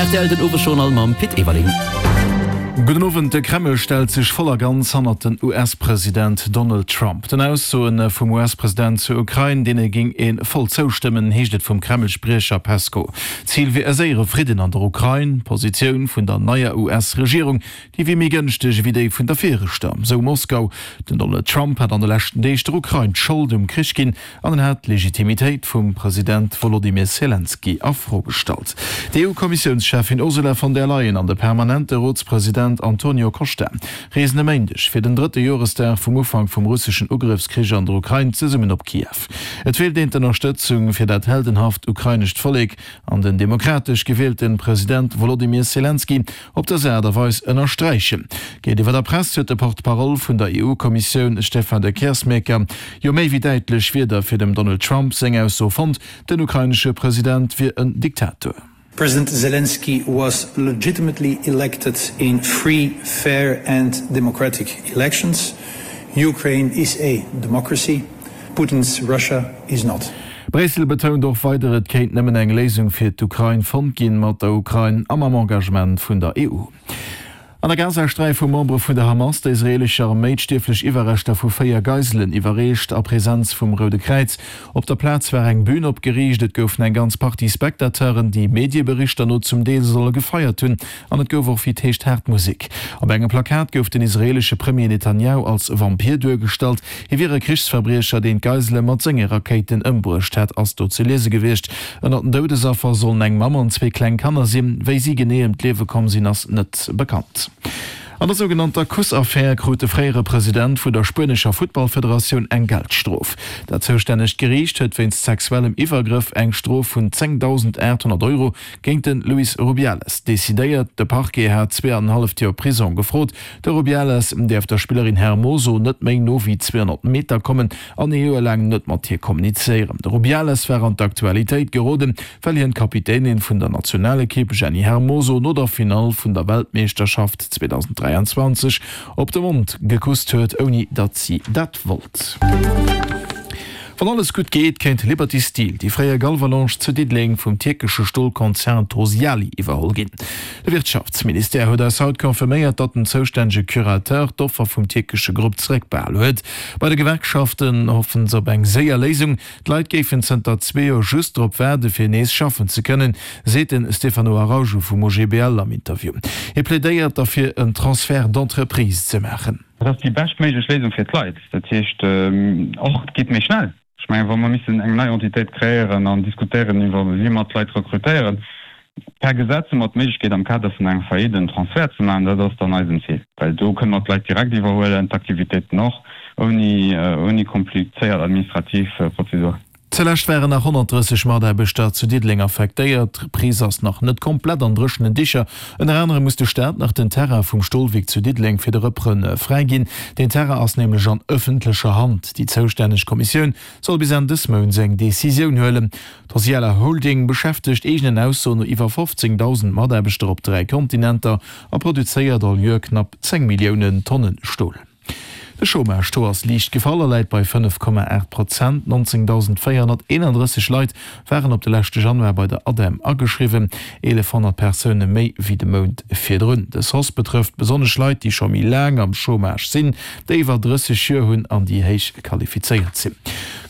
Rtl den Owesjournal mam Pit Everling. Gudden Owend. De Kreml stellt sech voll a ganz hannert den US-President Donald Trump. Den Aussoe vum US-President zur Ukrain, deene géing ee voll zoustëmmen, heescht et vum Kreml-Spriecher Peskow. Zil wier e séiere Fridden an der Ukrain. D'Positioun vun der neier US-Regierung, déi wier méi gënschteg ewéi déi vun der viregter, sou Moskau. Den Donald Trump hat an de leschten Deeg der Ukrain d'Schold um Krich ginn An en hat d'Legitimitéit vum President Wolodymyr Selenskyj a Fro gestallt. D'EU-Kommissiounscheffin Ursula von der Leyen an de permanente Rotspresident Antonio Costa reesen e Méindeg fir den drëtte Joresdag vum Ufank vum russeschen Ugrëffskrich an der Ukrain zesummen op Kiew. Et wéilt een d'Ënnerstëtzung fir dat heldenhaft ukrainescht Vollek an den demokratesch gewielte President Wolodymyr Selenskyj op dës Aart a Weis ënnersträichen. Géintiwwer der Press huet de Porte-parole vun der EU-Kommissioun Stefan de Keersmaecker jo méi wéi däitlech Wierder fir dem Donald Trump seng Ausso fonnt, den ukrainesche President wier en Diktator. President Zelensky was legitimately elected in free, fair and democratic elections. Ukraine is a democracy. Putin's Russia is not. Bréissel betount och weider, et kéint nëmmen eng Léisung fir d'Ukrain fonnt ginn, mat der Ukrain a mam Engagement vun der EU. An der Gazasträif hu Membere vun der Hamas der israeelescher Arméi d'stierflech Iwwerreschter vu 4 Geiselen iwwerreecht, a Presenz vum Roude Kräiz. Op der Plaz war eng Bün opgeriicht, et goufen eng ganz Partie Spectateuren, déi Medieberichter no zum Deel solle gefeiert hunn. An et gouf och wéi et heescht haart Musek. Op engem Plakat gouf den israeelesche Premier Netanjahu als Vampir duergestallt. Hie wier e Krichsverbriecher, deen d'Geisele mat senge Rakéiten ëmbruecht hätt, ass do ze liese gewiescht. Ënner den Doudesaffer sollen eng Mamm an zwee kleng Kanner sinn. Wéi si genee ëm d'Liewe komm sinn, ass net bekannt. An der sougenannter Kuss-Affär krut de fréiere President vun der spuenescher Futtballfederatioun eng Geldstrof. Dat zoustännegt Geriicht huet wéinst sexuellem Iwwergrëff eng Strof vun 10.800 Euro géint de Luis Rubiales decidéiert. De Parquet hat zweeanenhalleft Joer Prisong gefrot. De Rubiales däerf der Spillerin Hermoso net méi no wéi 200 Meter kommen an ee Joer laang net mat hir kommunizéieren. De Rubiales war an d'Aktualitéit geroden, well hien d'Kapitänin vun der Nationalekipp Jenny Hermoso no der Finall vun der Weltmeeschterschaft 2023 op de Mond gekusst huet, ouni datt si dat wollt. Wann alles gutt geet, kéint Liberty Steel, déi fréier Galvalange zu Diddeleng, vum tierkesche Stolkonzern Tosyali iwwerholl ginn. De Wirtschaftsministère huet eis haut confirméiert, datt den zoustännege Curateur d'Offer vum tierkesche Grupp zeréckbehal huet. Bei de Gewerkschaften hoffen se op eng séier Léisung. D'Leit géifen zënter zwee Joer just drop waarde fir nees schaffen ze kënnen, seet de Stefano Araujo vum OGBL am Interview. Hie plädéiert derfir en Transfert d'entreprise ze maachen. Dat ass déi beschtméiglech Léisung fir d'Leit. Dat heescht och, et geet méi schnell. Ech mengen, wa mer missen eng nei Entitéit kreéieren an diskutéieren iwwer wéi mer d'Leit rekrutéieren, per Gesetz hu mer d'Méiglechkeet am Kader vun enger Faillite en Transfert ze maachen. Dat ass dann eisen Zil, well do kënne mer d'Leit direkt iwwerhuelen, d'Aktivitéiten och, ouni ouni komplizéiert administrativ Prozeduren. Zulescht waren nach 130 Mataarbechter zu Diddeleng affektéiert. D'Reprise ass nach net komplett an dréchenen Dicher. Ënner anerem muss de Staat nach den Terrain vum Stolwierk zu Diddeleng fir de Repreneur fräiginn. Deen Terrain ass nämlech an ëffentlecher Hand. Déi zoustänneg Kommissioun soll bis Enn dës Mounts eng Decisioun huelen. D'Hosiala Holding beschäftegt eegenen Aussoen no iwwer 15.000 Mataarbechter op 3 Kontinenter a produzéiert all Joer knapp 10 Milliounen Tonnen Stol. De Chômage-Taux ass liicht gefall a läit bei 5,8 Prozent. 19.431 Leit waren op de leschte Januar bei der ADEM ageschriwwen, 1.100 Persoune méi wéi de Mount virdrun. Dës Hausse betrëfft besonnesch Leit, déi scho méi laang am Chômage sinn, déi iwwer 30 Joer hunn an déi héich qualifizéiert sinn.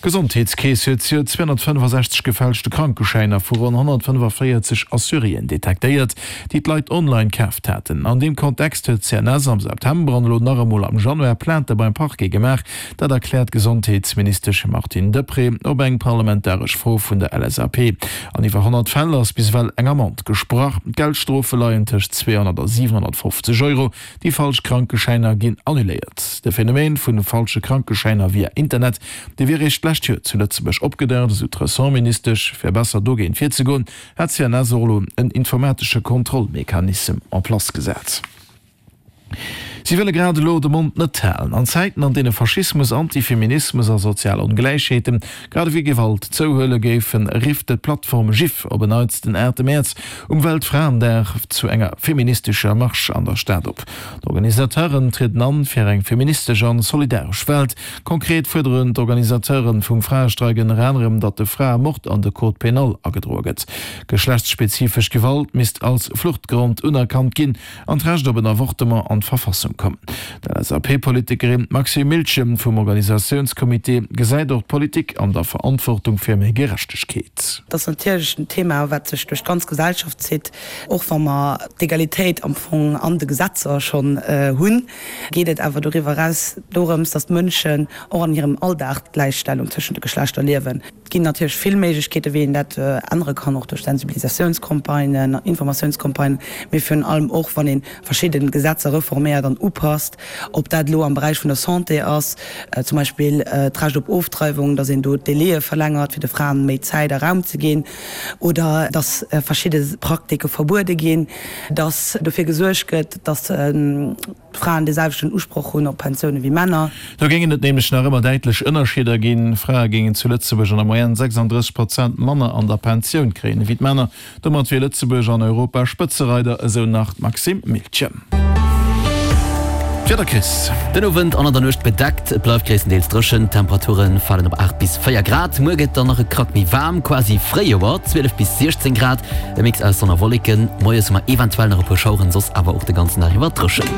D'Gesondheetskeess huet zejoert 265 gefälschte Krankeschäiner vu ronn 145 Assuréen detektéiert, déi d'Leit online kaaft haten. An deem Kontext huet d'CNS am September an elo nach emol am Januar Plainte beim Parquet gemaach. Dat erkläert d'Gesondheetsministesch Martine Deprez op eng parlamentaresch Fro vun der LSAP. An iwwer 100 Fäll ass bis ewell eng Amende gesprach. D'Geldstrofe leien tëscht 200 a 750 Euro. Déi falsch Krankeschäiner ginn annuléiert. De Phänomen vun falsche Krankeschäiner via Internet, dee wier eréischt d'lescht Joer zu Lëtzebuerg opgedaucht, esou d'Ressortministesch. Fir besser dogéint virzegoen, hat d'CNS och elo en informatesche Kontrollmechanissem en place gesat. Si wëlle grad elo de Mond net halen. An Zäiten, an deene Faschismus, Antifeminismus a sozial Ongläichheeten, grad ewéi Gewalt zouhuele géifen, rifft d'Plattform GIF op en Neits den 8 Mäerz um Weltfraendag zu enger feministescher Marsch an der Stad op. D'Organisateuren trieden an fir eng feministesch an solidaresch Welt. Konkret fuerderen d'Organisateuren vum Fraestreik ënner anerem, datt de Fraemord an de Code pénal agedroe gëtt. Geschlechtsspezifesch Gewalt misst als Fluchtgrond unerkannt ginn an d'Recht op en Avortement an d'Verfassung kommen. D'LSAP-Politikerin Maxime Miltgen vum Organisatiounscomité gesäit och d'Politik an der Verantwortung fir méi Gerechtegkeet. Et ass natierlech en Thema, wat sech duerch d'ganz Gesellschaft zitt. Och wa mer d'Egalitéit am Fong an de Gesetzer schonn hunn, geet et awer doriwwer eraus dorëms, datt d'Mënschen och an hirem Alldag d'Gläichstellung tëschent de Geschlechter liewen. Et ginn natierlech vill Méiglechkeeten, wéi een dat ännere kann, och duerch Sensibilisatiounscampagnen, Informatiounscampagnen, mee virun allem och, wann ee verschidde Gesetzer reforméiert an upasst, ob dat elo am Beräich vun der Santé ass, zum Beispill d'Recht op Ofdreiwung, datt een do d'Délaië verlängert, fir de Fraen méi Zäit a Raum ze ginn, oder datt verschidde Praktike verbuede ginn, datt dofir gesuergt gëtt, datt D'Fraen dee selwechten Usproch hunn op Pensioune wéi Männer. Do géingen et nämlech nach ëmmer däitlech Ënnerscheeder ginn. Frae géingen zu Lëtzebuerg an der Moyenne 36 Prozent manner an der Pensioun kréien ewéi d'Männer. Domat wier Lëtzebuerg an Europa Spëtzereider, esou nach d'Maxime Miltgen. D'Wieder, Chris. Den Owend an an der Nuecht bedeckt, et bleift gréisstendeels dréchen. D'Temperature falen op 8 bis 4 Grad. Muer gëtt dann nach e Krack méi waarm, quasi Fréijoer, 12 bis 16 Grad. E Mix aus Sonn a Wolleken. Moies hu mer eventuell nach e puer Schaueren, soss awer och de ganzen Dag iwwer dréchen.